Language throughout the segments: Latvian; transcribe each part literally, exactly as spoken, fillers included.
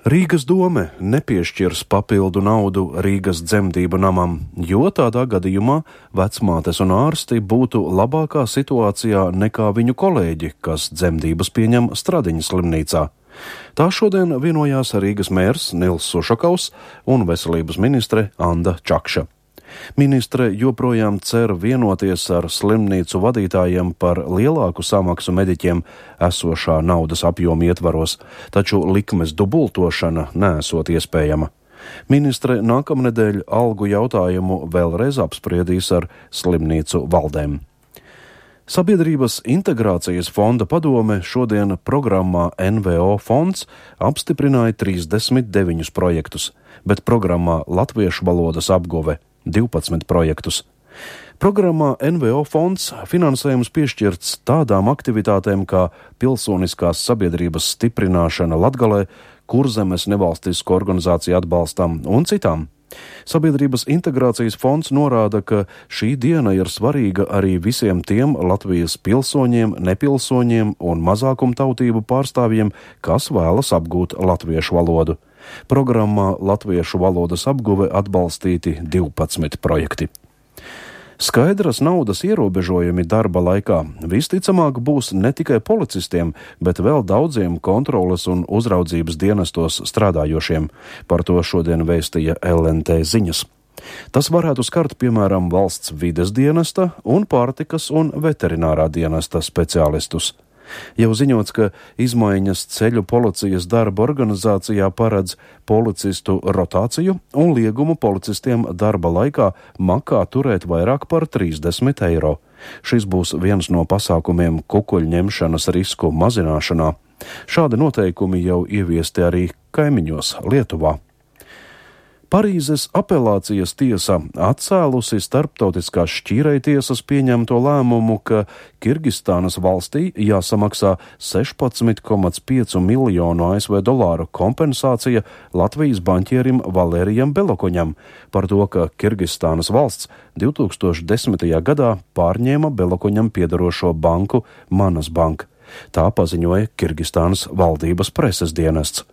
Rīgas dome nepiešķirs papildu naudu Rīgas dzemdību namam, jo tādā gadījumā vecmātes un ārsti būtu labākā situācijā nekā viņu kolēģi, kas dzemdības pieņem Stradiņas slimnīcā. Tā šodien vienojās Rīgas mērs Nils Sušakaus un veselības ministre Anda Čakša. Ministre joprojām cer vienoties ar slimnīcu vadītājiem par lielāku samaksu mediķiem esošā naudas apjoma ietvaros, taču likmes dubultošana neesot iespējama. Ministre nākamnedēļ algu jautājumu vēlreiz apspriedīs ar slimnīcu valdēm. Sabiedrības integrācijas fonda padome šodien programmā N V O fonds apstiprināja trīsdesmit deviņus projektus, bet programmā Latviešu valodas apguve divpadsmit projektus. Programmā N V O fonds finansējums piešķirts tādām aktivitātēm kā pilsoniskās sabiedrības stiprināšana Latgalē, Kurzemes nevalstisko organizāciju atbalstam un citām. Sabiedrības integrācijas fonds norāda, ka šī diena ir svarīga arī visiem tiem Latvijas pilsoņiem, nepilsoņiem un mazākumtautību pārstāvjiem, kas vēlas apgūt latviešu valodu. Programmā Latviešu valodas apguve atbalstīti divpadsmit projekti. Skaidras naudas ierobežojumi darba laikā visticamāk būs ne tikai policistiem, bet vēl daudziem kontroles un uzraudzības dienestos strādājošiem. Par to šodien vēstīja L N T ziņas. Tas varētu skart, piemēram, valsts vides dienesta un pārtikas un veterinārā dienesta speciālistus. Jau ziņots, ka izmaiņas ceļu policijas darba organizācijā paredz policistu rotāciju un liegumu policistiem darba laikā makā turēt vairāk par trīsdesmit eiro. Šis būs viens no pasākumiem kukuļņemšanas risku mazināšanā. Šādi noteikumi jau ieviesti arī kaimiņos Lietuvā. Parīzes apelācijas tiesa atcēlusi starptautiskās šķīrejtiesas pieņemto lēmumu, ka Kirgistānas valstī jāsamaksā sešpadsmit komats pieci miljonu A S V dolāru kompensācija Latvijas baņķierim Valērijam Belokoņam par to, ka Kirgistānas valsts divi tūkstoši desmitajā gadā pārņēma Belokoņam piedarošo banku Manas Bank. Tā paziņoja Kirgistānas valdības preses dienests.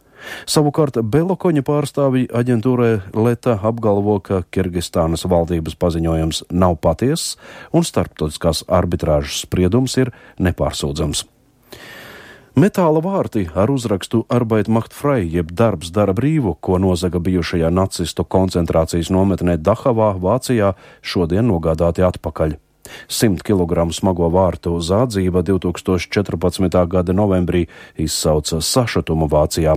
Savukārt Belokoņa pārstāvji aģentūrai Leta apgalvo, ka Kirgistānas valdības paziņojums nav patiess un starptautiskās arbitrāžas spriedums ir nepārsūdzams. Metāla vārti ar uzrakstu Arbeit macht frei, jeb darbs dara brīvu, ko nozaga bijušajā nacistu koncentrācijas nometnē Dahavā, Vācijā, šodien nogādāti atpakaļ. Simt kilogramu smago vārtu zādzība divi tūkstoši četrpadsmitā gada novembrī izsauca sašutumu Vācijā.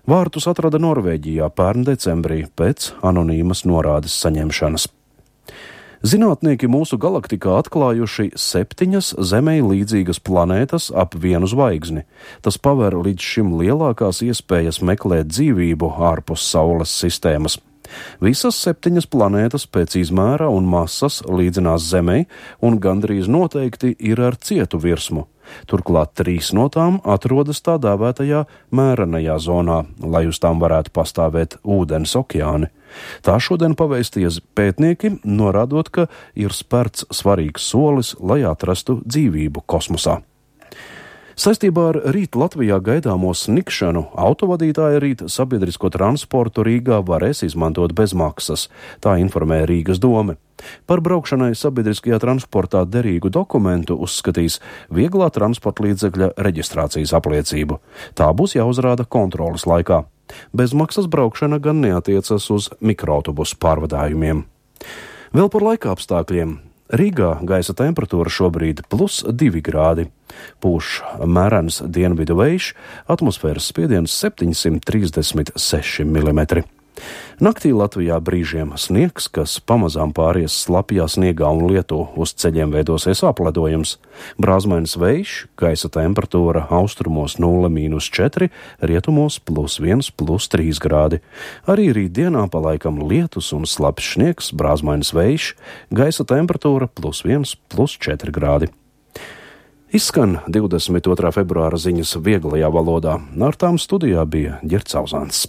Vārtus atrada Norvēģijā pērn decembrī pēc anonīmas norādes saņemšanas. Zinātnieki mūsu galaktikā atklājuši septiņas Zemei līdzīgas planētas ap vienu zvaigzni. Tas paver līdz šim lielākās iespējas meklēt dzīvību ārpus Saules sistēmas. Visas septiņas planētas pēc izmēra un masas līdzinās Zemei un gandrīz noteikti ir ar cietu virsmu. Turklāt trīs no tām atrodas tā dēvētajā mērenajā zonā, lai uz tām varētu pastāvēt ūdens okeāni. Tā šodien pavēstīja pētnieki, norādot, ka ir spērts svarīgs solis, lai atrastu dzīvību kosmosā. Saistībā ar rīt Latvijā gaidāmo snikšanu autovadītāji rīt sabiedrisko transportu Rīgā varēs izmantot bez maksas, tā informē Rīgas dome. Par braukšanai sabiedriskajā transportā derīgu dokumentu uzskatīs vieglā transporta līdzekļa reģistrācijas apliecību. Tā būs jāuzrāda kontroles laikā. Bezmaksas braukšana gan neatiecas uz mikroautobusu pārvadājumiem. Vēl par laika apstākļiem. Rīgā gaisa temperatūra šobrīd plus divi grādi. Pūš mērens dienvidu vējš, atmosfēras spiediens septiņsimt trīsdesmit seši milimetri. Naktī Latvijā brīžiem sniegs, kas pamazām pāries slapjā sniegā un lietu, uz ceļiem veidosies apledojums. Brāzmains vējš, gaisa temperatūra austrumos nulle mīnus četri, rietumos plus viens plus trīs grādi. Arī rītdienā palaikam lietus un slapjs sniegs, brāzmains vējš, gaisa temperatūra plus viens plus četri grādi. Izskan divdesmit otrā februāra ziņas vieglajā valodā. Ar tām studijā bija Ģerts Auzāns.